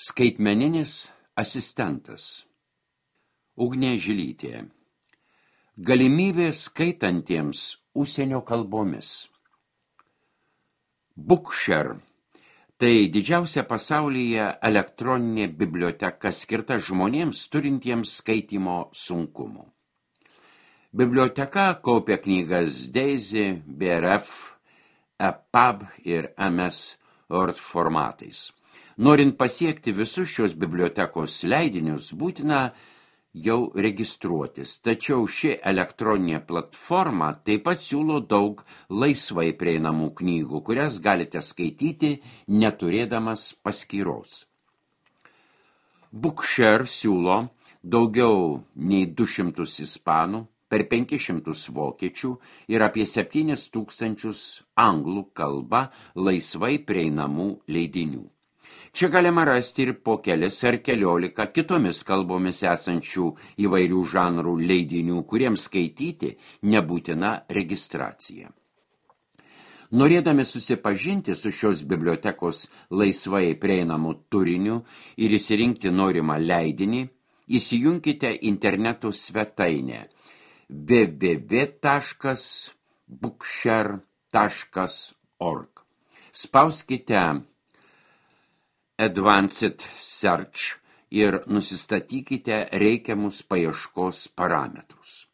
Skaitmeninis asistentas. Ugnė Žilytė. Galimybė skaitantiems užsienio kalbomis. Bookshare – tai didžiausia pasaulyje elektroninė biblioteka skirta žmonėms turintiems skaitymo sunkumų. Biblioteka kaupia knygas Daisy, BRF, EPUB ir MS Word formatais. Norint pasiekti visus šios bibliotekos leidinius, būtina jau registruotis, tačiau ši elektroninė platforma taip pat siūlo daug laisvai prieinamų knygų, kurias galite skaityti neturėdamas paskyros. Bookshare siūlo daugiau nei 200 ispanų, per 500 vokiečių ir apie 7000 anglų kalba laisvai prieinamų leidinių. Čia galima rasti ir po kelis ar keliolika kitomis kalbomis esančių įvairių žanrų leidinių, kuriems skaityti nebūtina registracija. Norėdami susipažinti su šios bibliotekos laisvai prieinamu turiniu ir įsirinkti norimą leidinį, įsijunkite interneto svetainę www.bookshare.org. Spauskite Advanced Search ir nusistatykite reikiamus paieškos parametrus.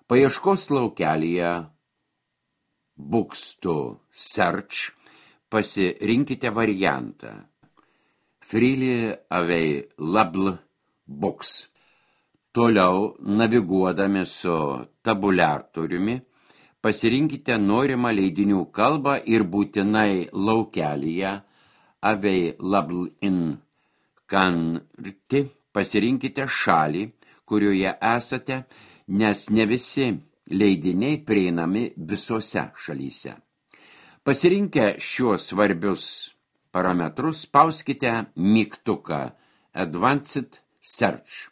Paieškos laukelyje Books to Search pasirinkite variantą Freely Available Books. Toliau, naviguodami su tabuliatoriumi, pasirinkite norimą leidinių kalbą ir būtinai laukelyje Available in country pasirinkite šalį, kurioje esate, nes ne visi leidiniai prieinami visose šalyse. Pasirinkę šiuos svarbius parametrus, spauskite mygtuką Advanced Search.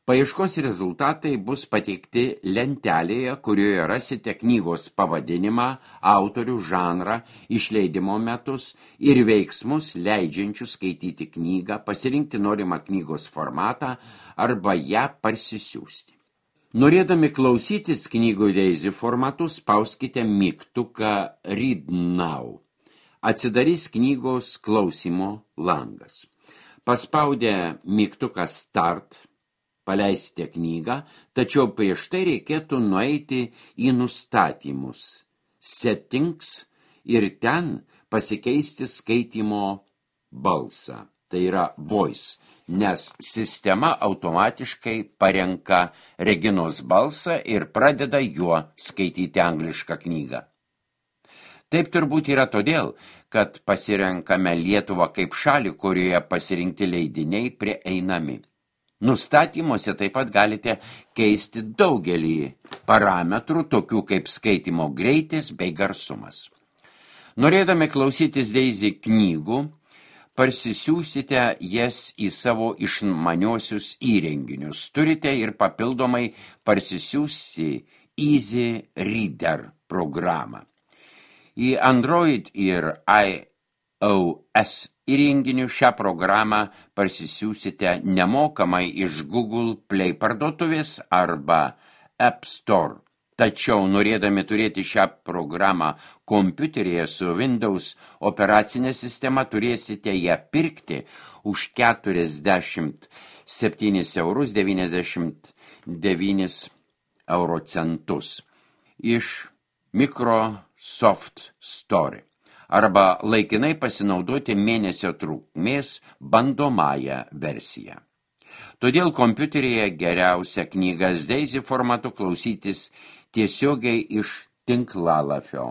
Paieškos rezultatai bus pateikti lentelėje, kurioje rasite knygos pavadinimą, autorių, žanrą, išleidimo metus ir veiksmus leidžiančius skaityti knygą, pasirinkti norimą knygos formatą arba ją parsisiųsti. Norėdami klausytis knygų Daisy formatu, spauskite mygtuką Read Now. Atsidarys knygos klausymo langas. Paspaudę mygtuką Start, paleisite knygą, tačiau prieš tai reikėtų nueiti į nustatymus, settings ir ten pasikeisti skaitymo balsą, tai yra voice, nes sistema automatiškai parenka Reginos balsą ir pradeda juo skaityti anglišką knygą. Taip turbūt yra todėl, kad pasirenkame Lietuvą kaip šalį, kurioje pasirinkti leidiniai prieinami. Nustatymuose taip pat galite keisti daugelį parametrų, tokių kaip skaitymo greitis bei garsumas. Norėdami klausytis Daisy knygų, parsisiųsite jas į savo išmaniuosius įrenginius. Turite ir papildomai parsisiųsti Easy Reader programą. Į Android ir iOS įrenginių šią programą parsisiųsite nemokamai iš Google Play parduotuvės arba App Store. Tačiau norėdami turėti šią programą kompiuteryje su Windows operacinė sistema, turėsite ją pirkti už 47,99 € iš Microsoft Store arba laikinai pasinaudoti mėnesio trukmės bandomąją versiją. Todėl kompiuteryje geriausia knygas Daisy formatu klausytis tiesiogiai iš tinklalapio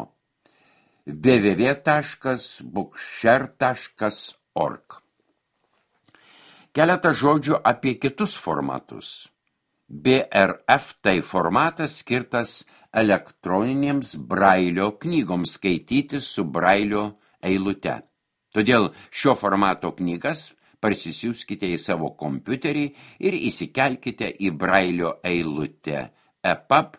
www.bookshare.org. Keletą žodžių apie kitus formatus. BRF tai formatas skirtas elektroninėms brailio knygoms skaityti su brailio eilute. Todėl šio formato knygas parsisiųskite į savo kompiuterį ir įsikelkite į brailio eilutę EPUB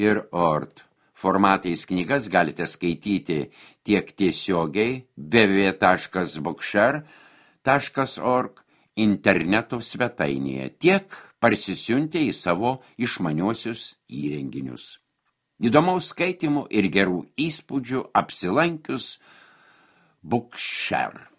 ir Word. Formatais knygas galite skaityti tiek tiesiogiai www.bookshare, bookshare.org interneto svetainėje, tiek parsisiuntę į savo išmaniuosius įrenginius. Įdomaus skaitymų ir gerų įspūdžių apsilankius Bookshare.